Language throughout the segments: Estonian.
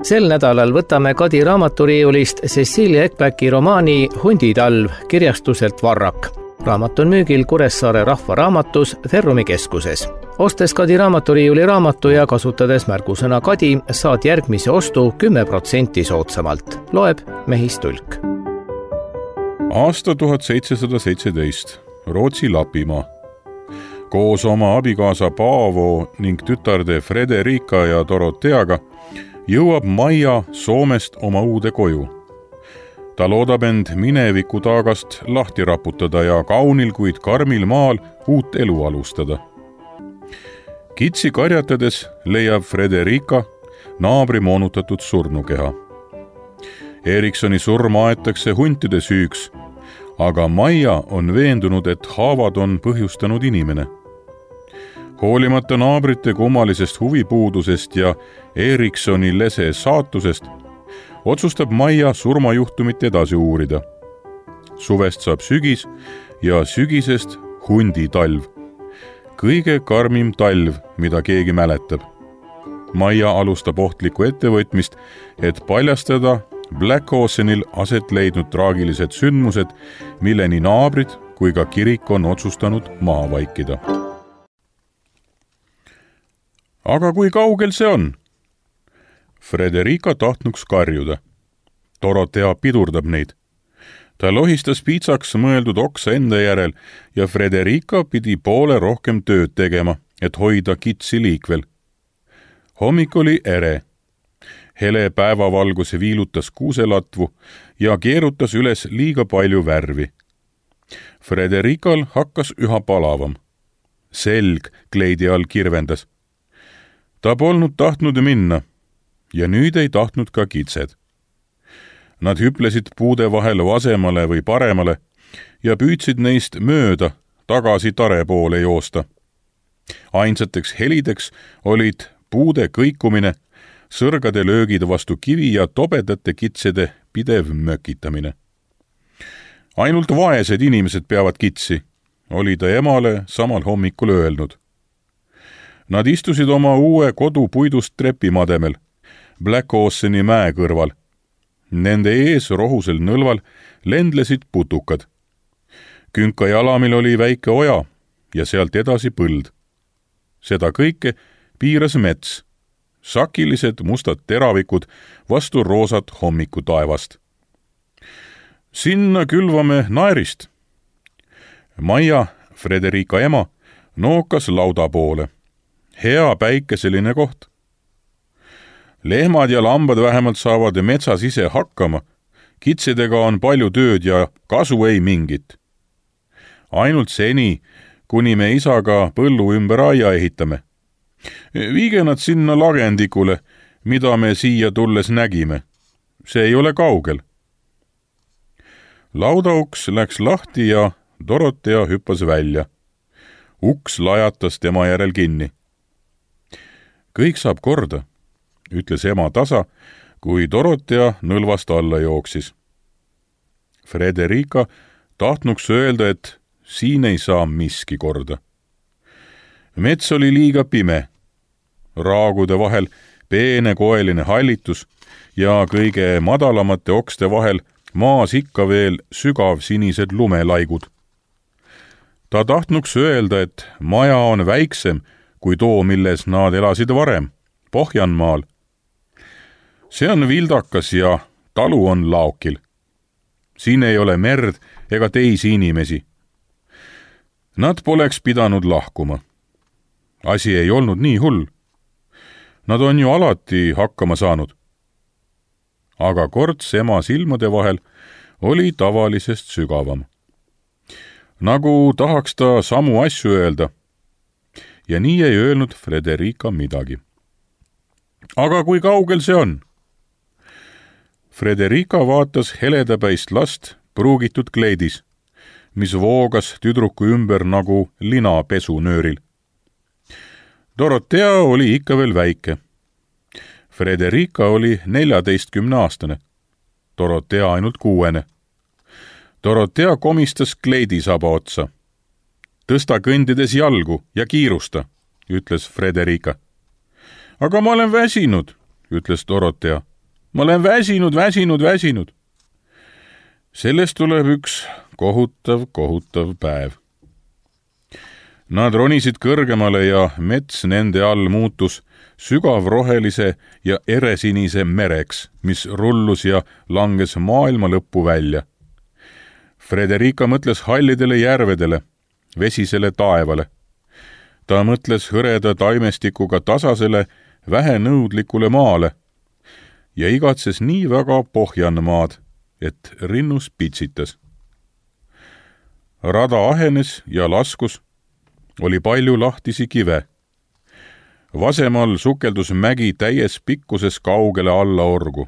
Sel nädalal võtame Kadi raamaturiiulist Cecilia Ekbäki romaani Hunditalv kirjastuselt Varrak. Raamat on müügil Kuressaare Rahvaraamatus Ferrumi keskuses. Ostes Kadi raamaturiiuli raamatu ja kasutades märgusõna Kadi, saad järgmise ostu 10% soodsamalt. Loeb Mehis Tulk. Aasta 1717. Rootsi Lapimaa. Koos oma abikaasa Paavo ning tütarde Frederica ja Doroteaga jõuab Maia Soomest oma uude koju. Ta loodab end mineviku taagast lahti raputada ja kaunil, kuid karmil maal uut elu alustada. Kitsi karjatades leiab Frederica naabri moonutatud surnukeha. Eriksoni surma aetakse huntide süüks, aga Maia on veendunud, et haavad on põhjustanud inimene. Hoolimata naabrite kummalisest huvipuudusest ja Eriksoni lese saatusest, otsustab Maia surmajuhtumit edasi uurida. Suvest saab sügis ja sügisest hunditalv. Kõige karmim talv, mida keegi mäletab. Maia alustab ohtlikku ettevõtmist, et paljastada Black Oceanil aset leidnud traagilised sündmused, mille nii naabrid kui ka kirik on otsustanud maha vaikida. Aga kui kaugel see on? Frederica tahtnuks karjuda. Dorotea pidurdab neid. Ta lohistas piitsaks mõeldud oksa enda järel ja Frederica pidi poole rohkem tööd tegema, et hoida kitsi liikvel. Hommik oli ere. Hele päevavalguse viilutas kuuselatvu ja keerutas üles liiga palju värvi. Frederical hakkas üha palavam. Selg kleidi all kirvendas. Ta polnud tahtnud minna ja nüüd ei tahtnud ka kitsed. Nad hüplesid puude vahel vasemale või paremale ja püüdsid neist mööda tagasi tare poole joosta. Ainsateks helideks olid puude kõikumine, sõrgade löögid vastu kivi ja tobedate kitsede pidev mökitamine. Ainult vaesed inimesed peavad kitsi, oli ta emale samal hommikul öelnud. Nad istusid oma uue kodu puidust trepimademel, Black Oceani mäe kõrval. Nende ees rohusel nõlval lendlesid putukad. Künka jalamil oli väike oja ja sealt edasi põld. Seda kõike piiras mets, sakilised mustad teravikud vastu roosat hommiku taevast. Sinna külvame naerist. Maia, Frederica ema, nookas lauda poole. Hea päikeseline koht. Lehmad ja lambad vähemalt saavad metsas ise hakkama. Kitsedega on palju tööd ja kasu ei mingit. Ainult seni, kuni me isaga põllu ümber aia ehitame. Viige nad sinna lagendikule, mida me siia tulles nägime. See ei ole kaugel. Laudauks läks lahti ja Dorotea hüppas välja. Uks lajatas tema järel kinni. Kõik saab korda, ütles ema tasa, kui Dorotea nõlvast alla jooksis. Frederica tahtnuks öelda, et siin ei saa miski korda. Mets oli liiga pime. Raagude vahel peene koeline hallitus ja kõige madalamate okste vahel maas ikka veel sügav sinised lumelaigud. Ta tahtnuks öelda, et maja on väiksem kui too, milles nad elasid varem, Pohjanmaal. See on vildakas ja talu on laokil. Siin ei ole merd ega teisi inimesi. Nad poleks pidanud lahkuma. Asi ei olnud nii hull. Nad on ju alati hakkama saanud. Aga korts ema silmade vahel oli tavalisest sügavam. Nagu tahaks ta samu asju öelda. Ja nii ei öelnud Frederica midagi. Aga kui kaugel see on? Frederica vaatas heledapäist last pruugitud kleidis, mis voogas tüdruku ümber nagu lina pesunööril. Dorotea oli ikka veel väike. Frederica oli 14-aastane, Dorotea ainult 6. Dorotea komistas kleidisaba otsa. Tõsta kõndides jalgu ja kiirusta, ütles Frederica. Aga ma olen väsinud, ütles Dorotea. ma olen väsinud. Sellest tuleb üks kohutav päev. Nad ronisid kõrgemale ja mets nende all muutus sügavrohelise ja eresinise mereks, mis rullus ja langes maailma lõppu välja. Frederica mõtles hallidele järvedele, vesisele taevale. Ta mõtles hõreda taimestikuga tasasele, vähenõudlikule maale ja igatses nii väga Pohjanmaad, et rinnus pitsitas. Rada ahenes ja laskus, oli palju lahtisi kive. Vasemal sukeldus mägi täies pikkuses kaugele alla orgu.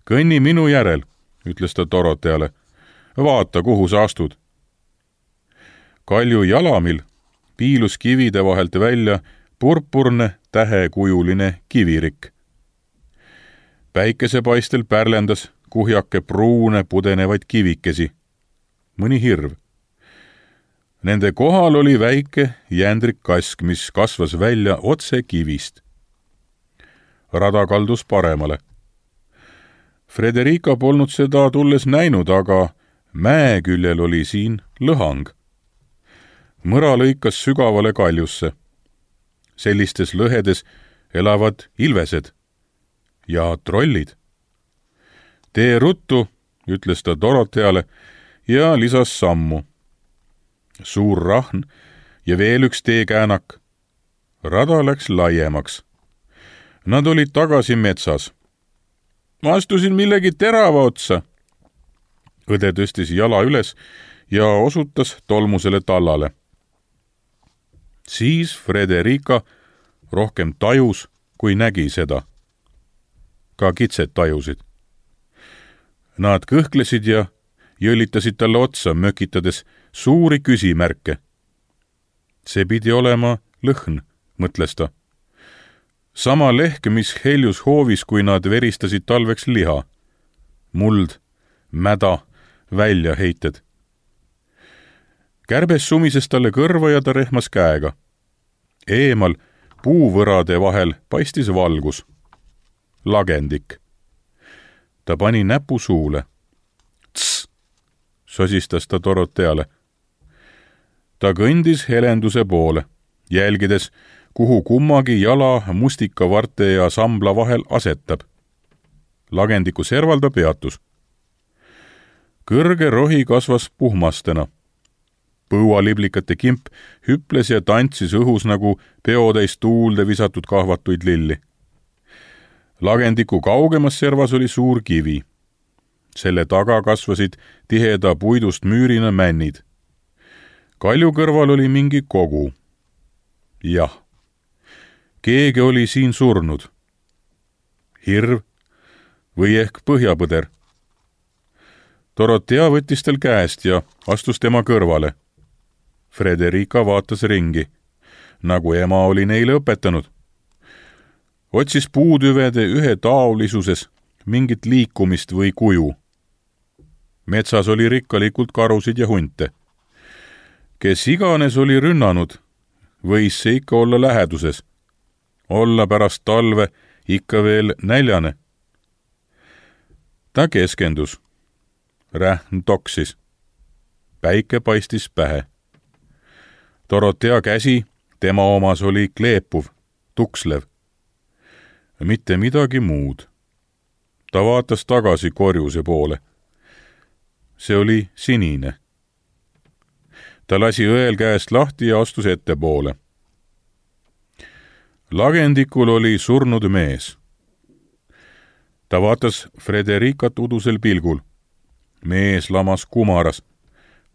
Kõnni minu järel, ütles ta Dorotheale. Vaata, kuhu sa astud. Kalju jalamil piilus kivide vahelt välja purpurne tähekujuline kivirik. Päikesepaistel pärlendas kuhjake pruune pudenevaid kivikesi. Mõni hirv. Nende kohal oli väike jändrik kask, mis kasvas välja otse kivist. Rada kaldus paremale. Frederica polnud seda tulles näinud, aga mäe küljel oli siin lõhang. Mõra lõikas sügavale kaljusse. Sellistes lõhedes elavad ilvesed ja trollid. Tee ruttu, ütles ta Dorotheale ja lisas sammu. Suur rahn ja veel üks teekäänak. Rada läks laiemaks. Nad olid tagasi metsas. Ma astusin millegi terava otsa. Õde tõstis jala üles ja osutas tolmusele tallale. Siis Frederica rohkem tajus, kui nägi seda. Ka kitsed tajusid. Nad kõhklesid ja jõllitasid talle otsa, mökitades suuri küsimärke. See pidi olema lõhn, mõtles ta. Sama lehk, mis heljus hoovis, kui nad veristasid talveks liha. Muld, mäda, väljaheited. Kärbes sumises talle kõrva ja ta rehmas käega. Eemal puuvõrade vahel paistis valgus. Lagendik. Ta pani näpu suule. Tss, sosistas ta Dorotheale. Ta kõndis helenduse poole, jälgides, kuhu kummagi jala mustikavarte ja sambla vahel asetab. Lagendiku serval ta peatus. Kõrge rohi kasvas puhmastena. Põualiblikate kimp hüples ja tantsis õhus nagu peotäis tuulde visatud kahvatuid lilli. Lagendiku kaugemas servas oli suur kivi. Selle taga kasvasid tiheda puidust müürina männid. Kalju kõrval oli mingi kogu. Jah, keegi oli siin surnud. Hirv või ehk põhjapõder. Dorothea võttis tal käest ja astus tema kõrvale. Frederica vaatas ringi, nagu ema oli neile õpetanud. Otsis puutüvede ühetaolisuses mingit liikumist või kuju. Metsas oli rikkalikult karusid ja hunte. Kes iganes oli rünnanud, võis see ikka olla läheduses. Olla pärast talve ikka veel näljane. Ta keskendus. Rähn toksis. Päike paistis pähe. Dorothea käsi, tema omas oli kleepuv, tukslev. Mitte midagi muud. Ta vaatas tagasi korjuse poole. See oli sinine. Ta lasi õel käest lahti ja astus ettepoole. Lagendikul oli surnud mees. Ta vaatas Fredericat udusel pilgul. Mees lamas kumaras,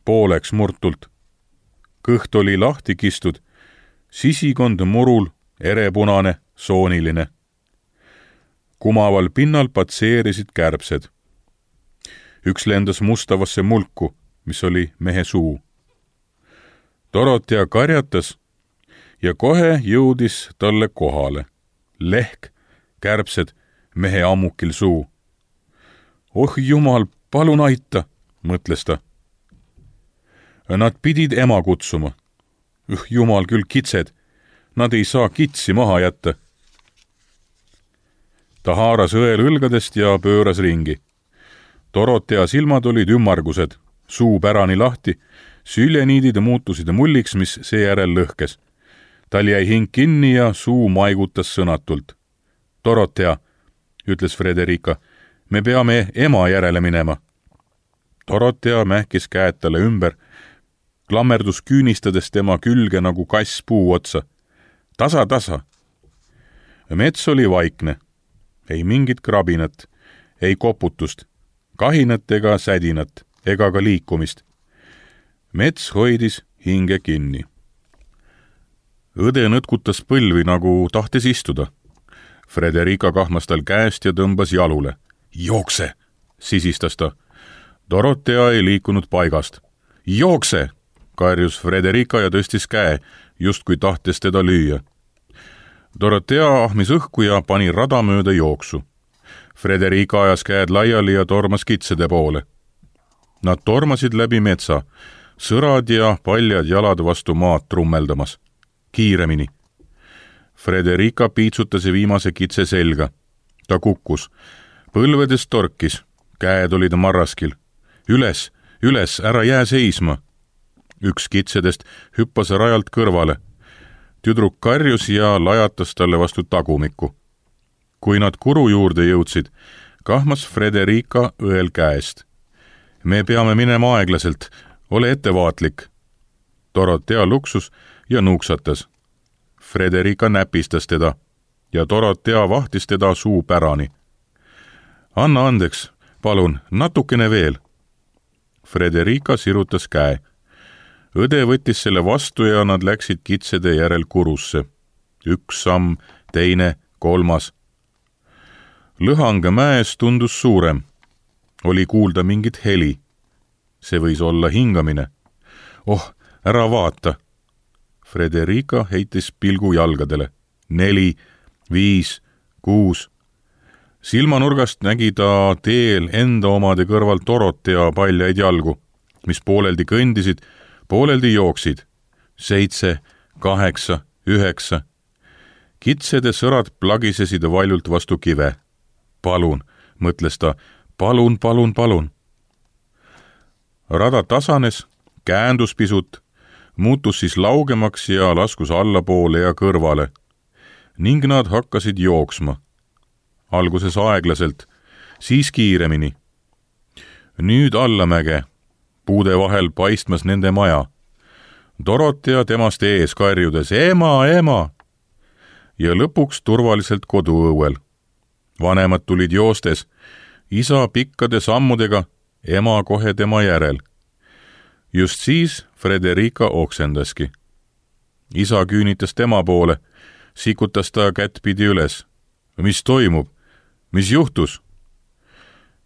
pooleks murtult. Kõht oli lahti kistud, sisikond murul, erepunane, sooniline. Kumaval pinnal patseerisid kärbsed. Üks lendas mustavasse mulku, mis oli mehe suu. Dorothea karjatas ja kohe jõudis talle kohale. Lehk, kärbsed, mehe ammukil suu. Oh jumal, palun aita, mõtles ta. Nad pidid ema kutsuma. Jumal küll kitsed, nad ei saa kitsi maha jätta. ta haaras õel õlgadest ja pööras ringi. Dorotea silmad olid ümmargused, suu pärani lahti, süljeniidid muutusid mulliks, mis seejärel lõhkes. Tal jäi hing kinni ja suu maigutas sõnatult. Dorotea, ütles Frederica, me peame ema järele minema. Dorotea mähkis käed talle ümber, klammerdus küünistades tema külge nagu kass puu otsa. Tasa, tasa. Mets oli vaikne. Ei mingit krabinat, ei koputust, kahinat ega sädinat, ega ka liikumist. Mets hoidis hinge kinni. Õde nõtkutas põlvi, nagu tahtis istuda. Frederica kahmas tal käest ja tõmbas jalule. Jookse, sisistas ta. Dorotea ei liikunud paigast. Jookse, karjus Frederica ja tõstis käe, justkui tahtes teda lüüa. Dorotea ahmis õhku ja pani rada mööda jooksu. Frederica ajas käed laiali ja tormas kitsede poole. Nad tormasid läbi metsa, sõrad ja paljad jalad vastu maad trummeldamas. Kiiremini. Frederica piitsutas viimase kitse selga. Ta kukkus. Põlvedest torkis. Käed olid marraskil. Üles, üles, ära jää seisma. Üks kitsedest hüppas rajalt kõrvale. Tüdruk karjus ja lajatas talle vastu tagumikku. Kui nad kuru juurde jõudsid, kahmas Frederica õel käest. Me peame minema aeglaselt, ole ettevaatlik. Dorotea luksus ja nuuksatas. Frederica näpistas teda ja Dorotea vahtis teda suu pärani. Anna andeks, palun, natukene veel. Frederica sirutas käe. Õde võttis selle vastu ja nad läksid kitsede järel kurusse. Üks samm, teine, kolmas. Lõhang mäes tundus suurem. Oli kuulda mingit heli. See võis olla hingamine. Oh, ära vaata. Frederica heitis pilgu jalgadele. 4, 5, 6. Silmanurgast nägi ta teel enda omade kõrval Dorotea paljaid jalgu, mis pooleldi kõndisid, pooleldi jooksid. 7, 8, 9. Kitsede sõrad plagisesid valjult vastu kive. Palun, mõtles ta, palun, palun, palun. Rada tasanes, käändus pisut, muutus siis laugemaks ja laskus allapoole ja kõrvale. Ning nad hakkasid jooksma. Alguses aeglaselt, siis kiiremini. Nüüd allamäge. Puude vahel paistmas nende maja. Dorotea temast ees karjudes, ema, ema! Ja lõpuks turvaliselt koduõuel. Vanemad tulid joostes, isa pikkade sammudega, ema kohe tema järel. Just siis Frederica oksendaski. Isa küünitas tema poole, sikutas ta kättpidi üles. Mis toimub? Mis juhtus?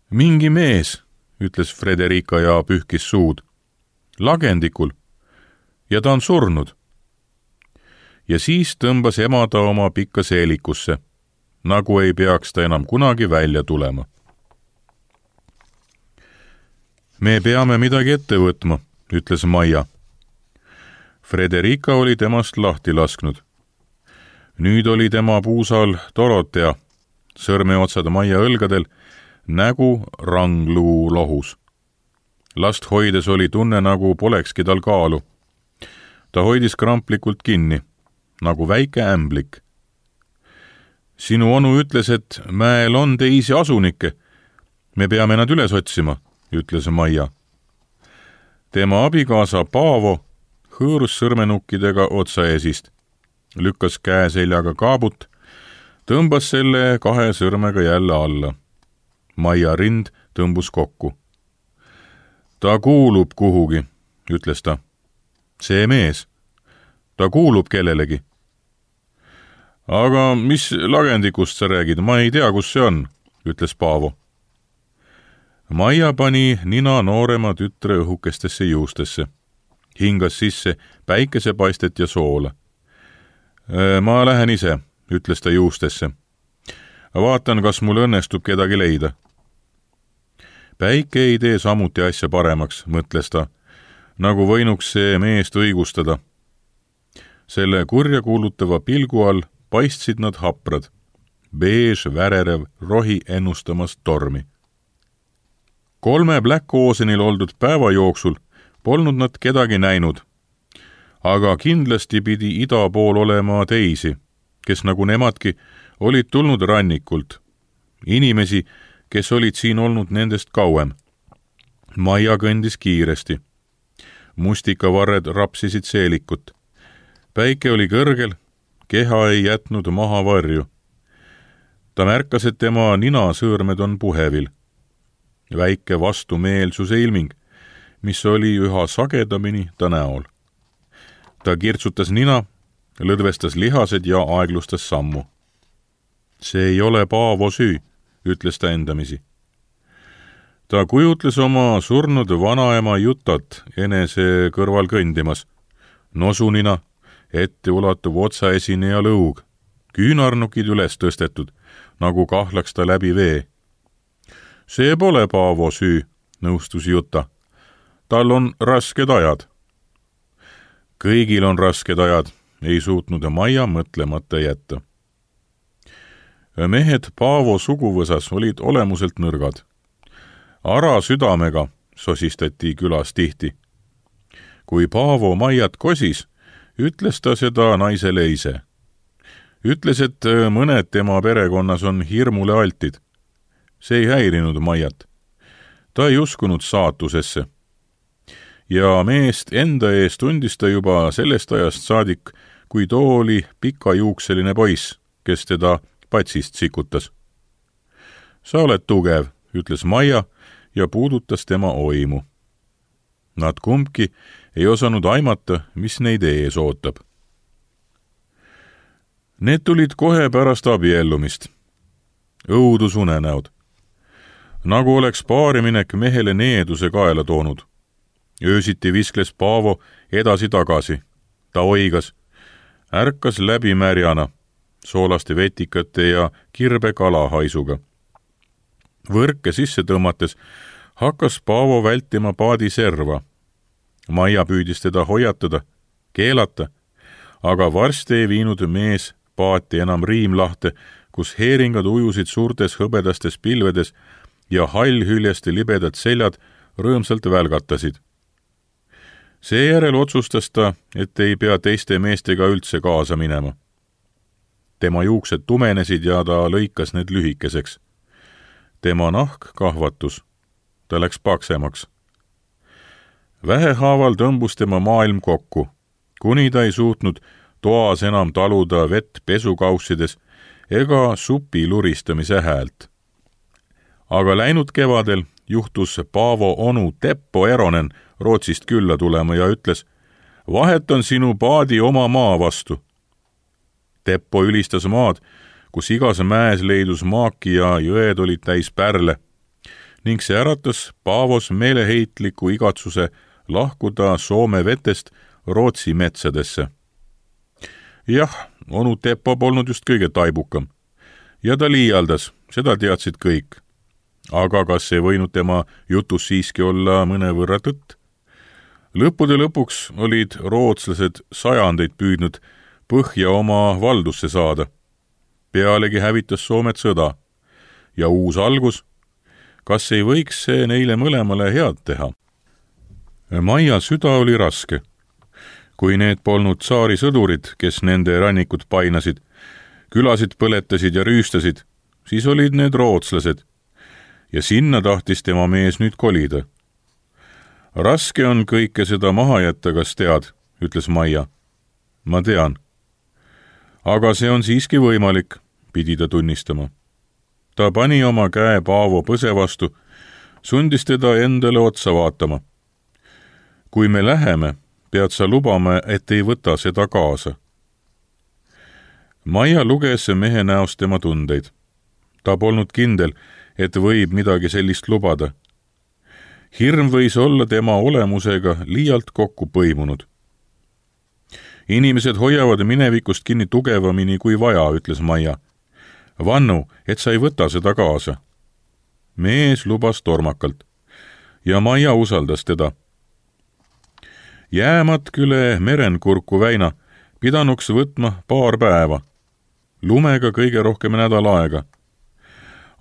Mingi mees, ütles Frederica ja pühkis suud. Lagendikul. Ja ta on surnud. Ja siis tõmbas ema ta oma pikka seelikusse, nagu ei peaks ta enam kunagi välja tulema. Me peame midagi ette võtma, ütles Maia. Frederica oli temast lahti lasknud. Nüüd oli tema puusal Dorotea, sõrmeotsad Maia õlgadel, nägu rangluu lohus. Last hoides oli tunne, nagu polekski tal kaalu. Ta hoidis kramplikult kinni, nagu väike ämblik. Sinu onu ütles, et mäel on teisi asunikke. Me peame nad üles otsima, ütles Maia. Tema abikaasa Paavo hõõrus sõrmenukkidega otsaesist, lükkas käe seljaga kaabut, tõmbas selle 2 sõrmega jälle alla. Maia rind tõmbus kokku. Ta kuulub kuhugi, ütles ta. See mees. Ta kuulub kellelegi. Aga mis lagendikust sa räägid? Ma ei tea, kus see on, ütles Paavo. Maia pani nina noorema tütre õhukestesse juustesse. Hingas sisse päikesepaistet ja soola. Ma lähen ise, ütles ta juustesse. Vaatan, kas mul õnnestub kedagi leida. Päike ei tee samuti asja paremaks, mõtles ta, nagu võinuks see meest õigustada. Selle kurja kuulutava pilgu all paistsid nad haprad, beež värerev rohi ennustamas tormi. 3 Black Oceanil oldud päeva jooksul polnud nad kedagi näinud, aga kindlasti pidi ida pool olema teisi, kes nagu nemadki olid tulnud rannikult. Inimesi, kes olid siin olnud nendest kauem. Maia kõndis kiiresti. Mustikavarred rapsisid seelikut. Päike oli kõrgel, keha ei jätnud maha varju. Ta märkas, et tema ninasõõrmed on puhevil. Väike vastumeelsuse ilming, mis oli üha sagedamini ta näol. Ta kirtsutas nina, lõdvestas lihased ja aeglustas sammu. See ei ole Paavo süü, ütles ta endamisi. Ta kujutles oma surnud vanaema Jutat enese kõrval kõndimas. Nosunina, ette ulatuv otsaesineja lõug, küünarnukid üles tõstetud, nagu kahlaks ta läbi vee. See pole Paavo süü, nõustus Juta. Tal on rasked ajad. Kõigil on rasked ajad, ei suutnud Maia mõtlemata jätta. Mehed Paavo suguvõsas olid olemuselt nõrgad. Ara südamega sosistati külas tihti. Kui Paavo Maiat kosis, ütles ta seda naisele ise. Ütles, et mõned tema perekonnas on hirmule altid. See ei häirinud Maiat. Ta ei uskunud saatusesse. Ja meest enda ees tundis ta juba sellest ajast saadik, kui too oli pikajuukseline poiss, kes teda patsist sikutas. Sa oled tugev, ütles Maia ja puudutas tema oimu. Nad kumbki ei osanud aimata, mis neid ees ootab. Need tulid kohe pärast abiellumist. Õudusunenäod. Nagu oleks paariminek mehele needuse kaela toonud. Öösiti viskles Paavo edasi-tagasi. Ta oigas. Ärkas läbi märjana, soolaste vetikate ja kirbe kalahaisuga. Võrke sisse tõmmates hakkas Paavo vältima paadi serva. Maia püüdis teda hoiatada, keelata, aga varsti ei viinud mees paati enam riimlahte, kus heeringad ujusid suurtes hõbedastes pilvedes ja hallhüljeste libedad seljad rõõmsalt välgatasid. Seejärel otsustas ta, et ei pea teiste meestega üldse kaasa minema. Tema juuksed tumenesid ja ta lõikas need lühikeseks. Tema nahk kahvatus. Ta läks paksemaks. Vähehaaval tõmbus tema maailm kokku, kuni ta ei suutnud toas enam taluda vett pesukaussides ega supi luristamise häält. Aga läinud kevadel juhtus Paavo onu Teppo Eronen Rootsist külla tulema ja ütles, vahetan sinu paadi oma maa vastu. Teppo ülistas maad, kus igas mäes leidus maaki ja jõed olid täis pärle, ning see äratas Paavos meeleheitliku igatsuse lahkuda Soome vetest Rootsi metsadesse. Jah, onu Teppo polnud just kõige taibukam. Ja ta liialdas, seda teadsid kõik. Aga kas ei võinud tema jutus siiski olla mõnevõrra tõtt? Lõppude lõpuks olid rootslased sajandeid püüdnud põhja oma valdusse saada. Pealegi hävitas Soomet sõda. Ja uus algus, kas ei võiks see neile mõlemale head teha? Maia süda oli raske. Kui need polnud tsaari sõdurid, kes nende rannikud painasid, külasid põletasid ja rüüstasid, siis olid need rootslased. Ja sinna tahtis tema mees nüüd kolida. Raske on kõike seda maha jätta, kas tead, ütles Maia. Ma tean. Aga see on siiski võimalik, pidi ta tunnistama. Ta pani oma käe Paavo põse vastu, sundis teda endale otsa vaatama. Kui me läheme, pead sa lubama, et ei võta seda kaasa. Maia luges mehe näost tema tundeid. Ta polnud kindel, et võib midagi sellist lubada. Hirm võis olla tema olemusega liialt kokku põimunud. Inimesed hoiavad minevikust kinni tugevamini kui vaja, ütles Maia. Vannu, et sa ei võta seda kaasa. Mees lubas tormakalt ja Maia usaldas teda. Jäämatküle Merenkurku väina pidanuks võtma paar päeva. lumega kõige rohkem nädal aega.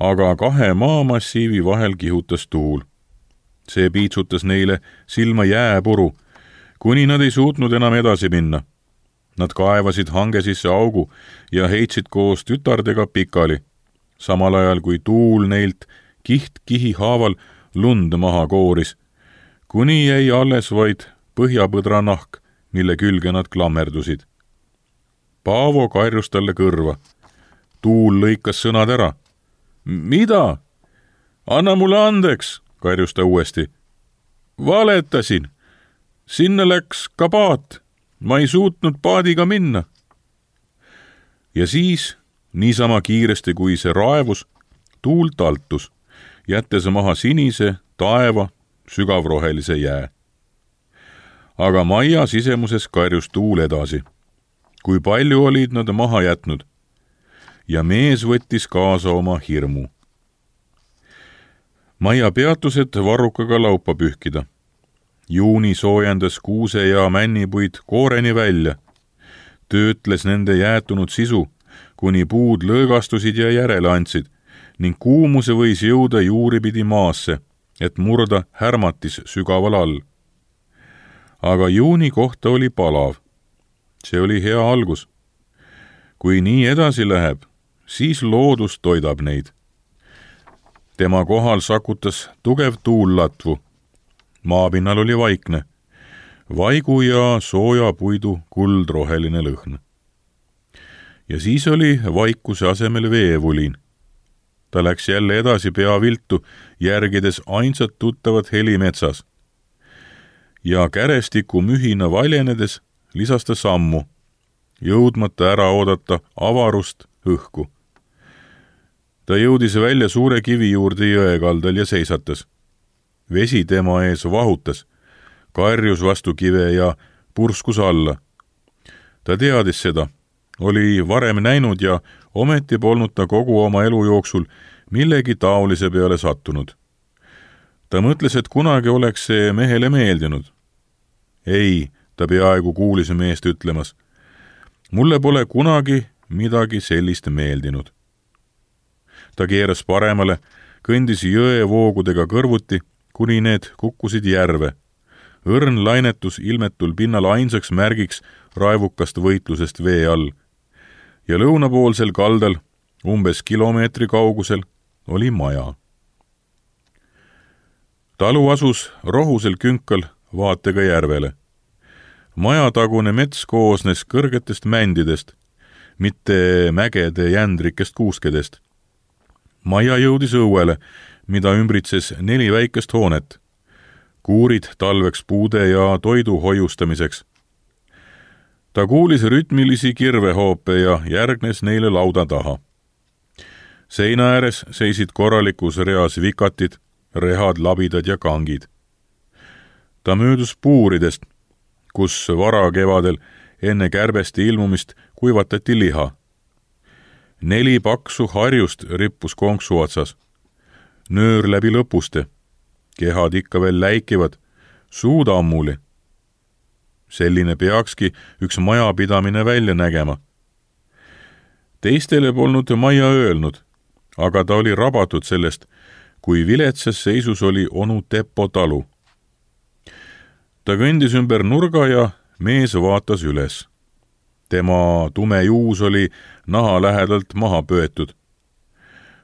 Aga 2 maamassiivi vahel kihutas tuul. See piitsutas neile silma jääpuru, kuni nad ei suutnud enam edasi minna. Nad kaevasid hange sisse augu ja heitsid koos tütardega pikali, samal ajal kui tuul neilt kiht-kihi haaval lund maha kooris, kuni jäi alles vaid põhjapõdra nahk, mille külge nad klammerdusid. Paavo karjus talle kõrva. Tuul lõikas sõnad ära. Mida? Anna mulle andeks, karjus ta uuesti. Valetasin. Sinna läks ka paat. Ma ei suutnud paadiga minna. Ja siis, niisama kiiresti kui see raevus, tuul taltus, jättes maha sinise, taeva, sügavrohelise jää. Aga maja sisemuses karjus tuul edasi. Kui palju olid nad maha jätnud. Ja mees võttis kaasa oma hirmu. Maja peatused varrukaga laupa pühkida. Juuni soojendas kuuse ja männipuid kooreni välja. Töötles nende jäätunud sisu, kuni puud lõõgastusid ja järele andsid, ning kuumuse võis jõuda juuripidi maasse, et murda härmatis sügaval all. Aga juuni kohta oli palav. See oli hea algus. Kui nii edasi läheb, siis loodus toidab neid. Tema kohal sakutas tugev tuul latvu. Maapinnal oli vaikne. Vaigu ja sooja puidu kuldroheline lõhn. Ja siis oli vaikuse asemel veevulin. Ta läks jälle edasi pea viltu, järgides ainsat tuttavat heli metsas. Ja kärestiku mühina valjenedes lisas ta sammu, jõudmata ära oodata avarust õhku. Ta jõudis välja suure kivi juurde jõe kaldal ja seisatas. Vesi tema ees vahutas, karjus vastu kive ja purskus alla. Ta teadis seda, oli varem näinud ja ometi polnud ta kogu oma elu jooksul millegi taolise peale sattunud. Ta mõtles, et kunagi oleks see mehele meeldinud. Ei, ta peaaegu kuulis meest ütlemas. Mulle pole kunagi midagi sellist meeldinud. Ta keeras paremale, kõndis jõe voogudega kõrvuti, kuni need kukkusid järve. Õrn lainetus ilmetul pinnal ainsaks märgiks raevukast võitlusest vee all. Ja lõunapoolsel kaldal, umbes kilomeetri kaugusel, oli maja. Talu asus rohusel künkal vaatega järvele. Majatagune mets koosnes kõrgetest mändidest, mitte mägede jändrikest kuuskedest. Maja jõudis õuele, mida ümbritses 4 väikest hoonet. Kuurid talveks puude ja toidu hoiustamiseks. Ta kuulis rütmilisi kirvehoope ja järgnes neile lauda taha. Seina ääres seisid korralikus reas vikatid, rehad, labidad ja kangid. Ta möödus puuridest, kus varakevadel enne kärbeste ilmumist kuivatati liha. 4 paksu harjust rippus konksu otsas. Nöör läbi lõpuste. Kehad ikka veel läikivad, suud ammuli. Selline peakski üks majapidamine välja nägema. Teistele polnud Maia öelnud, aga ta oli rabatud sellest, kui viletsas seisus oli onu Teppo talu. Ta kõndis ümber nurga ja mees vaatas üles. Tema tume juus oli naha lähedalt maha pöetud.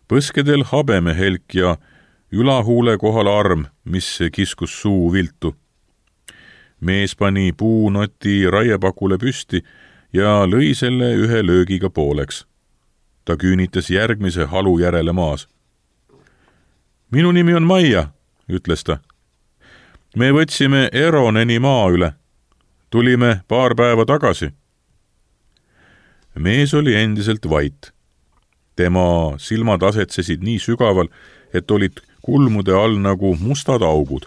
Põskedel habemehelk ja ülahuule kohal arm, mis kiskus suu viltu. Mees pani puunoti raiepakule püsti ja lõi selle ühe löögiga pooleks. Ta küünitas järgmise halu järele maas. Minu nimi on Maia, ütles ta. Me võtsime Eroneni maa üle. Tulime paar päeva tagasi. Mees oli endiselt vait. Tema silmad asetsesid nii sügaval, et olid kulmude all nagu mustad augud.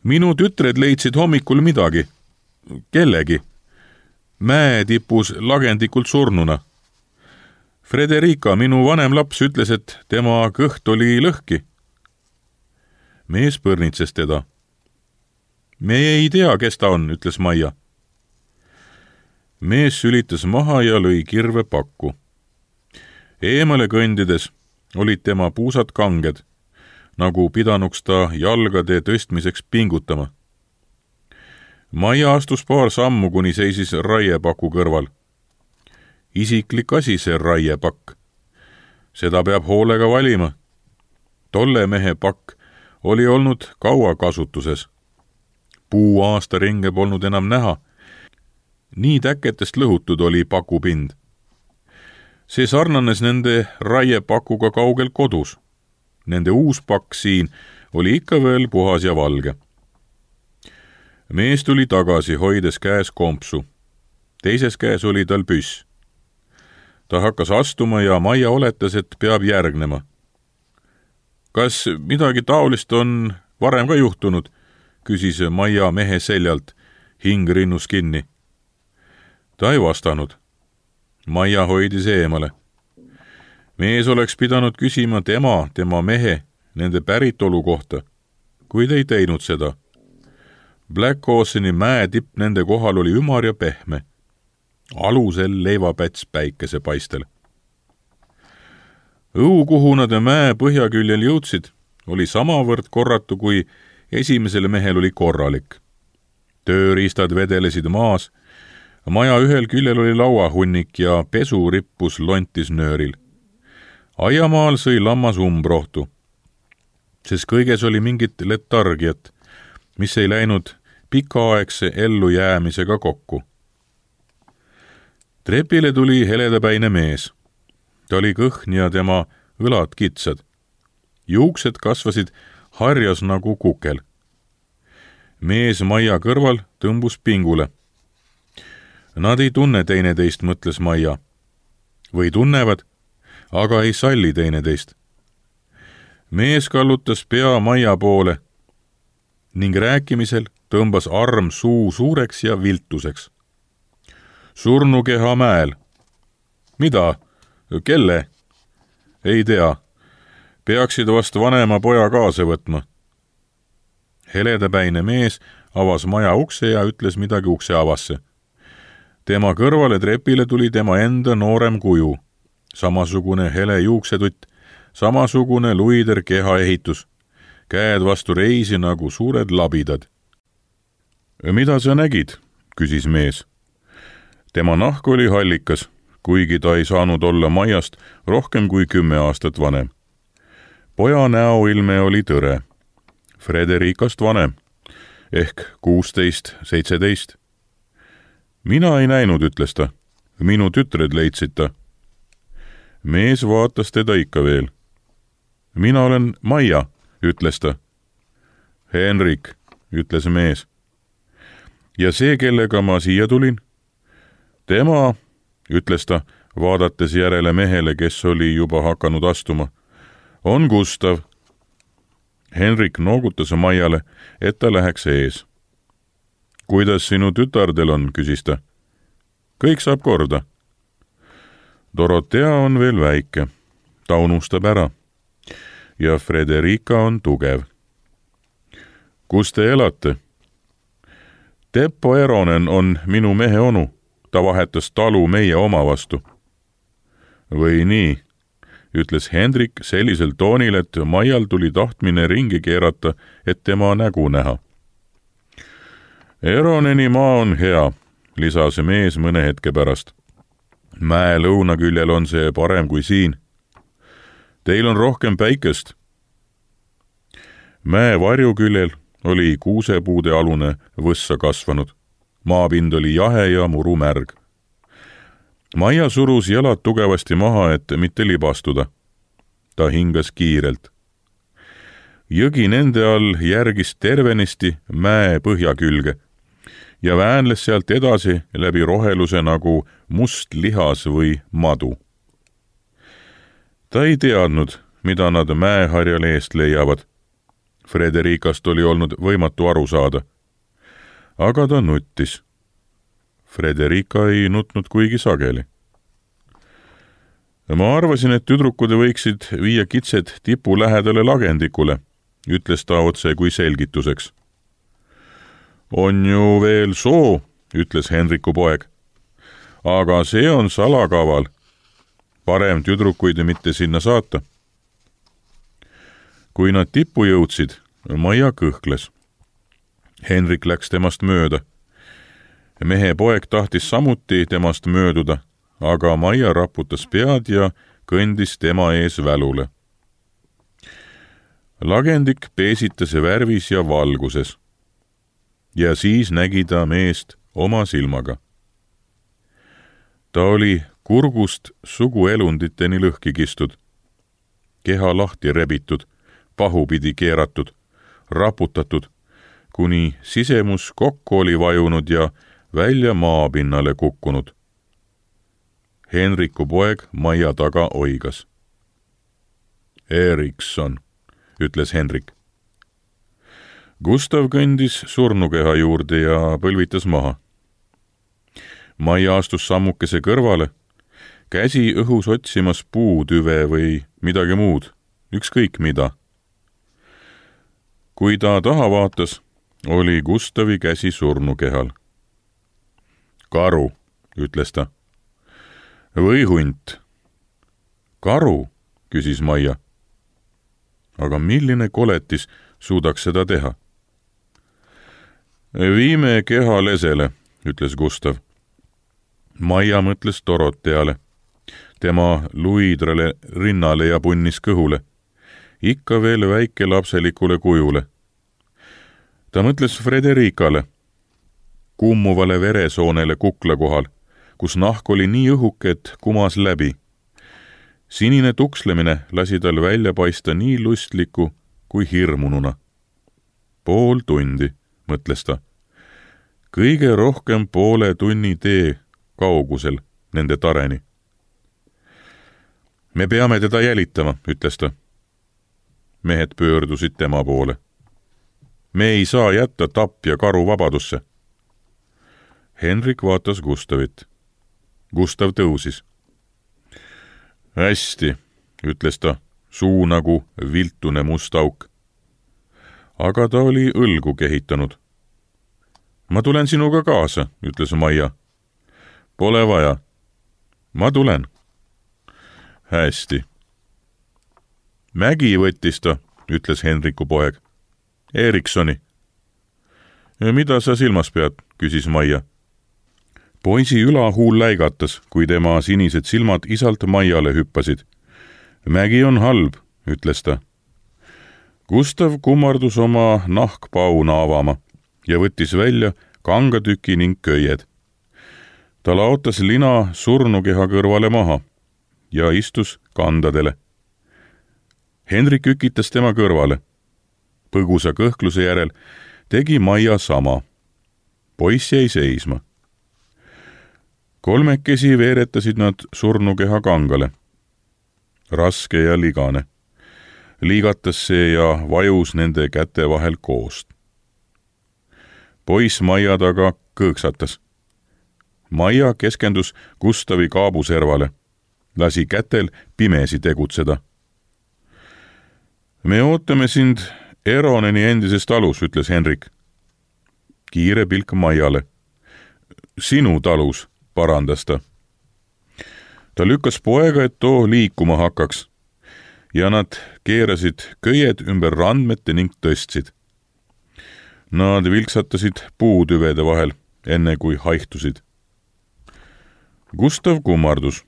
Minu tütred leidsid hommikul midagi. Kellegi. Mäetipus lagendikult surnuna. Frederica, minu vanem laps, ütles, et tema kõht oli lõhki. Mees põrnitses teda. Me ei tea, kes ta on, ütles Maia. mees sülitas maha ja lõi kirve pakku. Eemale kõndides olid tema puusad kanged, nagu pidanuks ta jalgade tõstmiseks pingutama. Maia astus paar sammu, kuni seisis raiepaku kõrval. Isiklik asi see raiepakk. Seda peab hoolega valima. Tolle mehe pakk oli olnud kaua kasutuses. Puu aastaringe polnud enam näha. Nii täketest lõhutud oli pakupind. See sarnanes nende raiepakuga kaugel kodus. Nende uus pakk siin oli ikka veel puhas ja valge. Mees tuli tagasi, hoides käes kompsu. Teises käes oli tal püss. Ta hakkas astuma ja Maia oletas, et peab järgnema. Kas midagi taolist on varem ka juhtunud, küsis Maia mehe seljalt, hing rinnus kinni. Ta ei vastanud. Maia hoidis eemale. Mees oleks pidanud küsima tema mehe, nende päritolu kohta, kuid ei teinud seda. Black Oceani mäe tipp nende kohal oli ümar ja pehme. Alusel leivapäts päikesepaistel. Õu, kuhu nad mäe põhjaküljel jõudsid, oli samavõrd korratu, kui esimesel mehel oli korralik. Tööriistad vedelesid maas, maja ühel küljel oli lauahunnik ja pesu rippus lontis nööril. Aiamaal sõi lammas umbrohtu, sest kõiges oli mingit letargiat, mis ei läinud pikaaegse ellujäämisega kokku. Trepile tuli heledapäine mees. Ta oli kõhn ja tema õlad kitsad. Juuksed kasvasid harjas nagu kukel. Mees Maia kõrval tõmbus pingule. Nad ei tunne teineteist, mõtles Maia. Või tunnevad, aga ei salli teineteist. Mees kallutas pea Maia poole ning rääkimisel tõmbas arm suu suureks ja viltuseks. Surnukeha mäel. Mida? Kelle? Ei tea. Peaksid vast vanema poja kaasa võtma. Heledapäine mees avas maja ukse ja ütles midagi ukse avasse. Tema kõrvale trepile tuli tema enda noorem kuju. Samasugune hele juuksetutt, samasugune luider kehaehitus. Käed vastu reisi nagu suured labidad. Mida sa nägid? Küsis mees. Tema nahk oli hallikas, kuigi ta ei saanud olla Maiast rohkem kui 10 aastat vanem. Poja näoilme oli tõre. Frederikast vanem, ehk 16-17. Mina ei näinud, ütles ta. Minu tütred leidsid ta. Mees vaatas teda ikka veel. Mina olen Maia, ütles ta. Henrik, ütles mees. Ja see, kellega ma siia tulin? Tema, ütles ta, vaadates järele mehele, kes oli juba hakanud astuma, on Gustav. Henrik noogutas Maiale, et ta läheks ees. Kuidas sinu tütardel on, küsis ta. Kõik saab korda. Dorotea on veel väike. Ta unustab ära. Ja Frederika on tugev. Kus te elate? Teppo Eronen on minu mehe onu. Ta vahetas talu meie oma vastu. Või nii, ütles Hendrik sellisel toonil, et Maial tuli tahtmine ringi keerata, et tema nägu näha. Eroneni maa on hea, lisas mees mõne hetke pärast. Mäe lõunaküljel on see parem kui siin. Teil on rohkem päikest. Mäe varjuküljel oli kuusepuude alune võssa kasvanud. Maapind oli jahe ja muru märg. Maia surus jalad tugevasti maha, et mitte libastuda. Ta hingas kiirelt. Jõgi nende all järgis tervenisti mäe põhjakülge ja väänles sealt edasi läbi roheluse nagu must lihas või madu. Ta ei teadnud, mida nad mäeharjal eest leiavad. Frederikast oli olnud võimatu aru saada. Aga ta nuttis. Frederika ei nutnud kuigi sageli. Ma arvasin, et tüdrukud võiksid viia kitsed tipu lähedale lagendikule, ütles ta otse kui selgituseks. On ju veel soo, ütles Henriku poeg. aga see on salakaval. Parem tüdrukuid mitte sinna saata. Kui nad tippu jõudsid, Maia kõhkles. Henrik läks temast mööda. Mehe poeg tahtis samuti temast mööduda, aga Maia raputas pead ja kõndis tema ees välule. Lagendik peesitas värvis ja valguses. Ja siis nägi ta meest oma silmaga. Ta oli kurgust suguelunditeni lõhki kistud, keha lahti rebitud, pahupidi keeratud, raputatud, kuni sisemus kokku oli vajunud ja välja maapinnale kukkunud. Henriku poeg Maia taga oigas. Erikson, ütles Henrik. Gustav kõndis surnukeha juurde ja põlvitas maha. Maia astus sammukese kõrvale, käsi õhus otsimas puutüve või midagi muud, ükskõik mida. Kui ta taha vaatas, oli Gustavi käsi surnukehal. Karu, ütles ta. Või hunt? Karu, küsis Maia. Aga milline koletis suudaks seda teha? Viime keha lesele, ütles Gustav. Maia mõtles Doroteale, tema luidrale rinnale ja punnis kõhule, ikka veel väikelapselikule kujule. Ta mõtles Fredericale, kummuvale veresoonele kukla kohal, kus nahk oli nii õhuke, et kumas läbi. Sinine tukslemine lasi tal välja paista nii lustliku kui hirmununa. Pool tundi, mõtles ta. Kõige rohkem poole tunni tee kaugusel nende tareni. Me peame teda jälitama, ütles ta. Mehed pöördusid tema poole. Me ei saa jätta tapja karu vabadusse. Henrik vaatas Gustavit. Gustav tõusis. Hästi, ütles ta, suu nagu viltune must auk. Aga ta oli õlgu kehitanud. Ma tulen sinuga kaasa, ütles Maia. Pole vaja. Ma tulen. Hästi. Mägi võttis ta, ütles Henriku poeg. Eriksoni. Mida sa silmas pead, küsis Maia. Poisi ülahuul läigatas, kui tema sinised silmad isalt Maiale hüppasid. Mägi on halb, ütles ta. Gustav kummardus oma nahkpauna avama ja võttis välja kangatüki ning köied. Ta laotas lina surnukeha kõrvale maha ja istus kandadele. Henrik ükitas tema kõrvale. Põgusa kõhkluse järel tegi Maia sama. Poiss jäi seisma. Kolmekesi veeretasid nad surnukeha kangale. Raske ja ligane. Liigatas see ja vajus nende käte vahel koost. Poiss Maia taga kõõksatas. Maia keskendus Gustavi kaabuservale. Lasi kätel pimesi tegutseda. Me ootame sind Eroneni endises talus, ütles Henrik. Kiire pilk Maiale. Sinu talus, parandas ta. Ta lükkas poega, et too liikuma hakkaks. Ja nad keerasid köied ümber randmete ning tõstsid. Nad vilksatasid puutüvede vahel, enne kui haihtusid. Gustav kummardus.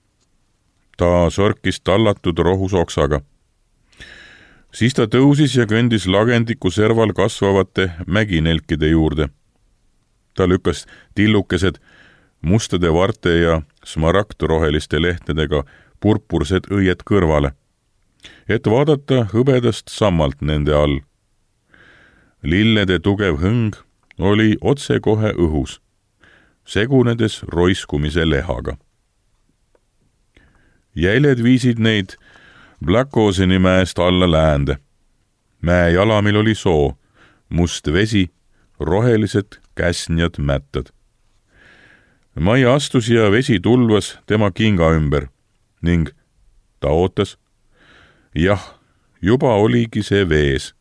Ta sorkis tallatud rohusoksaga. Siis ta tõusis ja kõndis lagendiku serval kasvavate mäginelkide juurde. Ta lükkas tillukesed mustade varte ja smaragdroheliste lehtedega purpursed õied kõrvale, et vaadata hõbedast sammalt nende all. Lillede tugev hõng oli otsekohe õhus, segunedes roiskumise lehaga. Jäljed viisid neid Blackoseni mäest alla läände. Mäe jalamil oli soo, must vesi, rohelised käsnjad mättad. Maia astus ja vesi tulvas tema kinga ümber ning ta ootas. Jah, juba oligi see vees.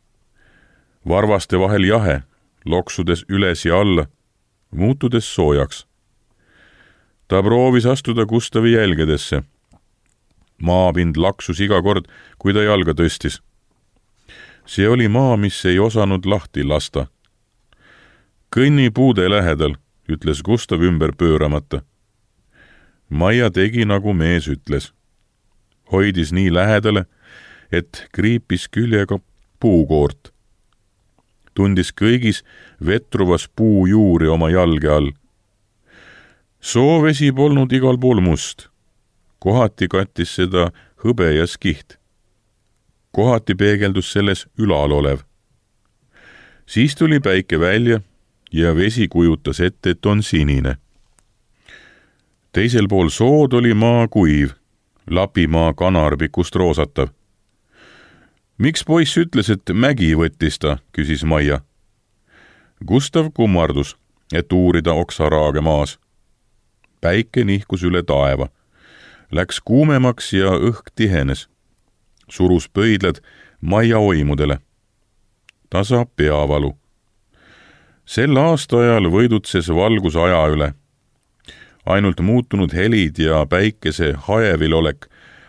Varvaste vahel jahe, loksudes üles ja alla, muutudes soojaks. Ta proovis astuda Gustavi jälgedesse. Maapind laksus iga kord, kui ta jalga tõstis. See oli maa, mis ei osanud lahti lasta. Kõnni puude lähedal, ütles Gustav ümber pööramata. Maia tegi, nagu mees ütles. Hoidis nii lähedale, et kriipis küljega puukoort. Tundis kõigis vetruvas puu juuri oma jalge all. Soovesi polnud igal pool must. Kohati kattis seda hõbe ja skiht. Kohati peegeldus selles ülal olev. Siis tuli päike välja ja vesi kujutas ette, et on sinine. Teisel pool sood oli maa kuiv, Lapimaa kanarpikust roosatav. Miks poiss ütles, et mägi võttis ta, küsis Maia. Gustav kummardus, et uurida oksaraage maas. Päike nihkus üle taeva. Läks kuumemaks ja õhk tihenes. Surus pöidlad Maia oimudele. Ta saab peavalu. Sel aastaajal võidutses valgus aja üle. Ainult muutunud helid ja päikese haevilolek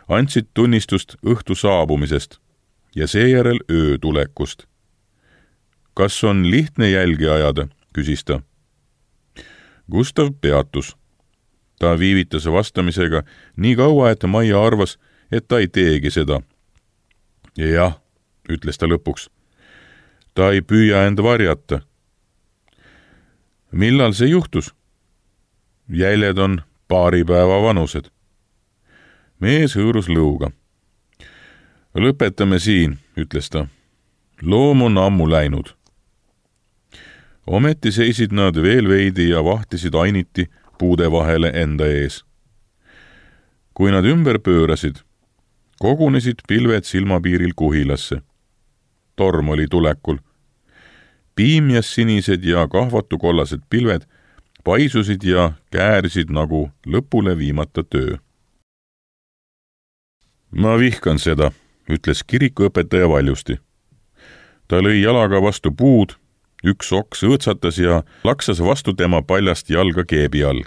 andsid tunnistust õhtu saabumisest ja seejärel öö tulekust. Kas on lihtne jälgi ajada, küsis ta. Gustav peatus. Ta viivitas vastamisega nii kaua, et Maia arvas, et ta ei teegi seda. Jah, ütles ta lõpuks. Ta ei püüa end varjata. Millal see juhtus? Jäljed on paari päeva vanused. Mees hõõrus lõuga. Lõpetame siin, ütles ta. Loom on ammu läinud. Ometi seisid nad veel veidi ja vahtisid ainiti puude vahele enda ees. Kui nad ümber pöörasid, kogunesid pilved silmapiiril kuhilasse. Torm oli tulekul. Piimjas sinised ja kahvatukollased pilved paisusid ja käärsid nagu lõpule viimata töö. Ma vihkan seda, ütles kirikuõpetaja valjusti. Ta lõi jalaga vastu puud, üks oks õõtsatas ja laksas vastu tema paljast jalga keebi all.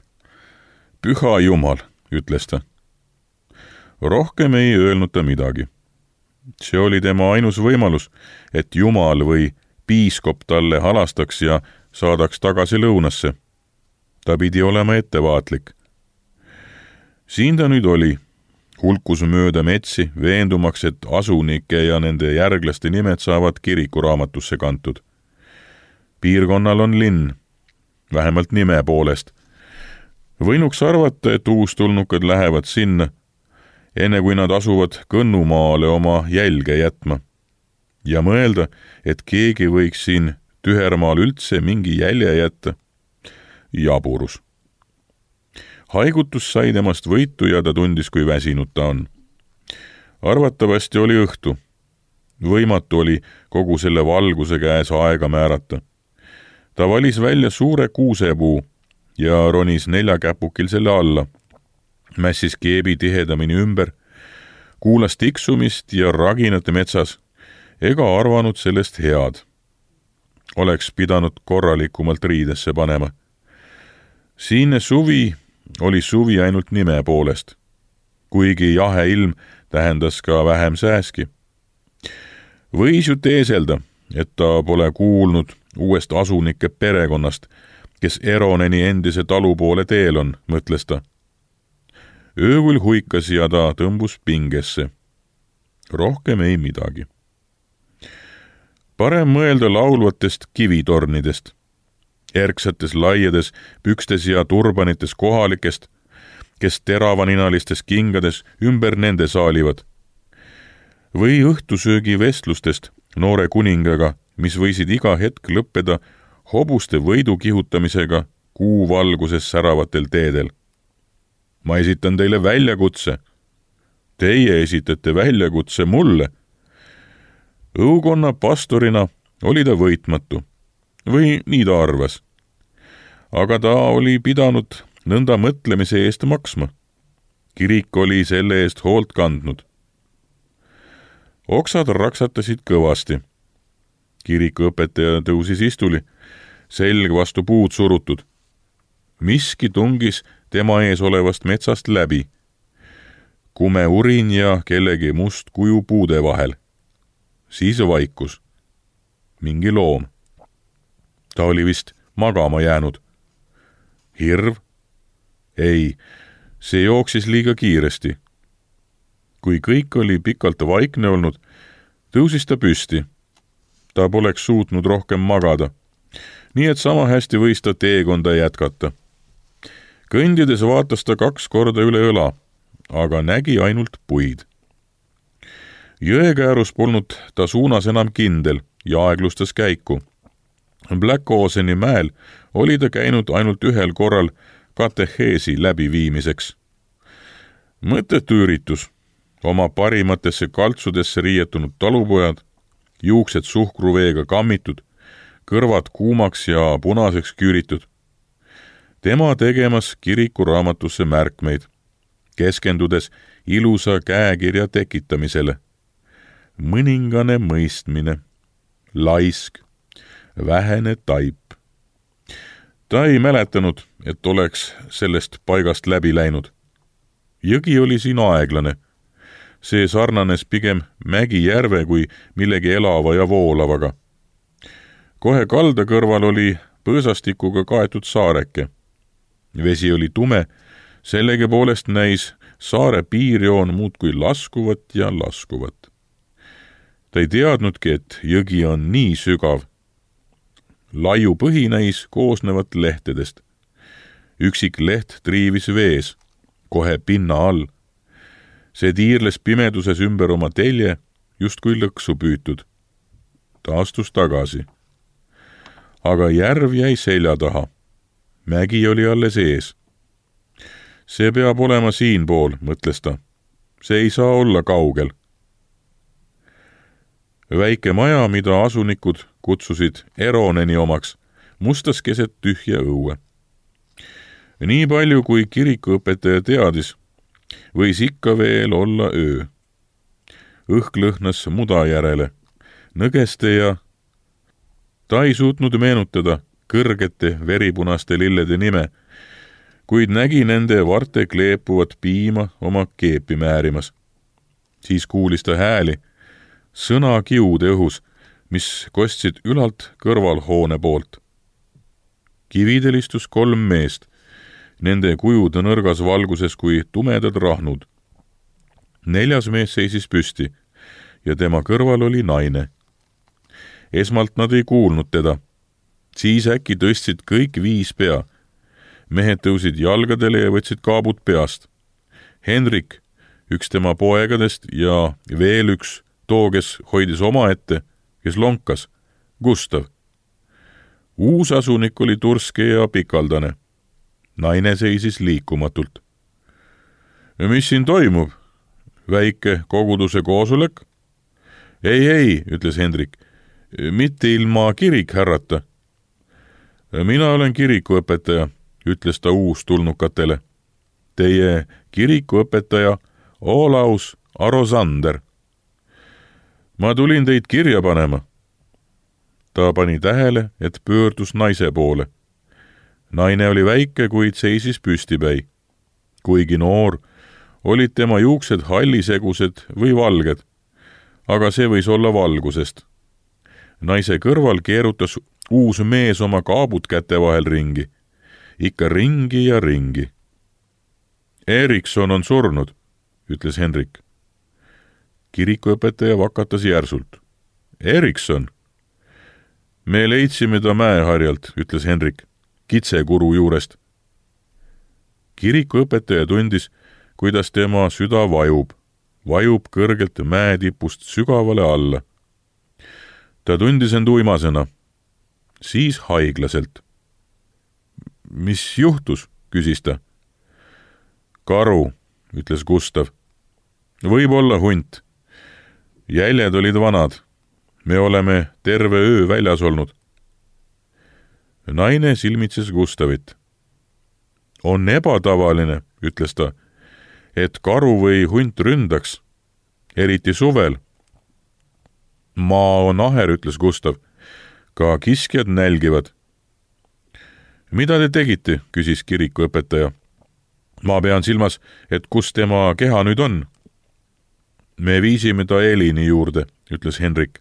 Püha Jumal, ütles ta. Rohkem ei öelnud ta midagi. See oli tema ainus võimalus, et Jumal või piiskop talle halastaks ja saadaks tagasi lõunasse. Ta pidi olema ettevaatlik. Siin ta nüüd oli, hulkus mööda metsi, veendumaks, et asunike ja nende järglaste nimed saavad kirikuraamatusse kantud. Piirkonnal on linn, vähemalt nime poolest. Võinuks arvata, et uustulnukad lähevad sinna, enne kui nad asuvad Kõnnumaale oma jälge jätma. Ja mõelda, et keegi võiks siin Tühermaal üldse mingi jälje jätta. Jaburus. Haigutus sai temast võitu ja ta tundis, kui väsinud ta on. Arvatavasti oli õhtu. Võimatu oli kogu selle valguse käes aega määrata. Ta valis välja suure kuusepuu ja ronis neljakäpukil selle alla. Mässis keebi tihedamini ümber, kuulas tiksumist ja raginat metsas ega arvanud sellest head. Oleks pidanud korralikumalt riidesse panema. Siinne suvi oli suvi ainult nime poolest, kuigi jahe ilm tähendas ka vähem sääski. Võis ju teeselda, et ta pole kuulnud uuest asunike perekonnast, kes Eroneni endise talu poole teel on, mõtles ta. Öökul huikas ja ta tõmbus pingesse. Rohkem ei midagi. Parem mõelda laulvatest kivitornidest, erksates laiades pükstes ja turbanites kohalikest, kes teravaninalistes kingades ümber nende saalivad. Või õhtusöögi vestlustest noore kuningaga, mis võisid iga hetk lõppeda hobuste võidu kihutamisega kuu valguses säravatel teedel. Ma esitan teile väljakutse. Teie esitate väljakutse mulle. Õukonna pastorina oli ta võitmatu. Või nii ta arvas. Aga ta oli pidanud nõnda mõtlemise eest maksma. Kirik oli selle eest hoolt kandnud. Oksad raksatasid kõvasti. Kirikuõpetaja tõusis istuli, selg vastu puud surutud. miski tungis tema ees olevast metsast läbi. Kume urin ja kellegi must kuju puude vahel. Siis vaikus. Mingi loom. Ta oli vist magama jäänud. Hirv? Ei, see jooksis liiga kiiresti. Kui kõik oli pikalt vaikne olnud, tõusis ta püsti. Ta poleks suutnud rohkem magada, nii et sama hästi võis ta teekonda jätkata. Kõndides vaatas ta 2 korda üle õla, aga nägi ainult puid. Jõekäärus polnud ta suunas enam kindel ja aeglustas käiku. Black Oceani mäel oli ta käinud ainult 1 korral kateheesi läbiviimiseks. Mõttetu üritus. Oma parimatesse kaltsudesse riietunud talupojad, juuksed suhkruveega kammitud, kõrvad kuumaks ja punaseks küüritud. Tema tegemas kirikuraamatusse märkmeid, keskendudes ilusa käekirja tekitamisele. Mõningane mõistmine, laisk, vähene taip. Ta ei mäletanud, et oleks sellest paigast läbi läinud. Jõgi oli siin aeglane. See sarnanes pigem mägijärve kui millegi elava ja voolavaga. Kohe kalda kõrval oli põõsastikuga kaetud saareke. Vesi oli tume, sellegi poolest näis saare piirjoon muudkui laskuvat ja laskuvat. Ta ei teadnudki, et jõgi on nii sügav. Laiu põhi näis koosnevat lehtedest. Üksik leht triivis vees, kohe pinna all. See tiirles pimeduses ümber oma telje, justkui lõksu püütud. Ta astus tagasi. Aga järv jäi selja taha. Mägi oli alles ees. See peab olema siinpool, mõtles ta. See ei saa olla kaugel. Väike maja, mida asunikud kutsusid Eroneni omaks, mustas keset tühja õue. Nii palju, kui kirikuõpetaja teadis, võis ikka veel olla öö. Õhk lõhnas muda järele, nõgeste ja ta ei suutnud meenutada kõrgete veripunaste lillede nime, kuid nägi nende varte kleepuvat piima oma keepi määrimas. Siis kuulis ta hääli, sõna kiude õhus, mis kostsid ülalt kõrvalhoone poolt. Kividel istus 3 meest, nende kujud nõrgas valguses kui tumedad rahnud. 4. mees seisis püsti ja tema kõrval oli naine. Esmalt nad ei kuulnud teda. Siis äkki tõstsid kõik 5 pea. Mehed tõusid jalgadele ja võtsid kaabud peast. Henrik, üks tema poegadest ja veel üks, too, kes hoidis omaette, kes lonkas, Gustav. Uus asunik oli turske ja pikaldane. Naine seisis liikumatult. Mis siin toimub? Väike koguduse koosolek? Ei, ütles Hendrik. Mitte ilma kirikhärrata. Mina olen kirikuõpetaja, ütles ta uustulnukatele. Teie kirikuõpetaja Olaus Arosander. Ma tulin teid kirja panema. Ta pani tähele, et pöördus naise poole. Naine oli väike, kuid seisis püstipäi. Kuigi noor, olid tema juuksed hallisegused või valged, aga see võis olla valgusest. Naise kõrval keerutas uus mees oma kaabud käte vahel ringi. Ikka ringi ja ringi. Erikson on surnud, ütles Henrik. Kirikuõpetaja vakatas järsult. Erikson? Me leidsime ta mäeharjalt, ütles Henrik, kitsekuru juurest. Kirikuõpetaja tundis, kuidas tema süda vajub kõrgelt mäetipust sügavale alla. Ta tundis end uimasena, siis haiglaselt. Mis juhtus, küsis ta. Karu, ütles Gustav. Võib-olla hunt. Jäljed olid vanad. Me oleme terve öö väljas olnud. Naine silmitses Gustavit. On ebatavaline, ütles ta, et karu või hunt ründaks, eriti suvel. Maa on aher, ütles Gustav. Ka kiskjad nälgivad. Mida te tegite, küsis kirikuõpetaja. Ma pean silmas, et kus tema keha nüüd on? Me viisime ta Elini juurde, ütles Henrik.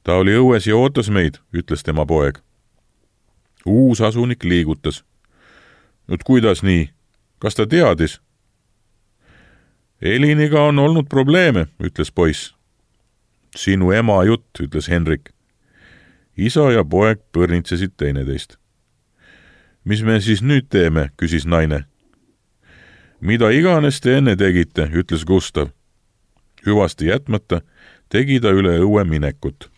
Ta oli õues ja ootas meid, ütles tema poeg. Uus asunik liigutas. Nüüd kuidas nii? Kas ta teadis? Eliniga on olnud probleeme, ütles poiss. Sinu ema jutt, ütles Henrik. Isa ja poeg põrnitsesid teineteist. Mis me siis nüüd teeme, küsis naine. Mida iganes te enne tegite, ütles Gustav. Hüvasti jätmata tegi ta üle õue minekut.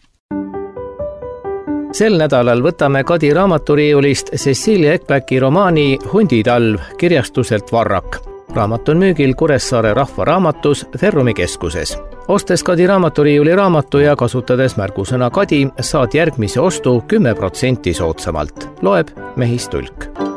Sel nädalal võtame Kadi raamaturiiulist Cecilia Ekpäki romaani Hunditalv kirjastuselt Varrak. Raamat on müügil Kuressaare Rahvaraamatus Ferrumi keskuses. Ostes Kadi raamaturiiuli raamatu ja kasutades märgusõna Kadi, saad järgmise ostu 10% soodsamalt. Loeb Mehis Tulk.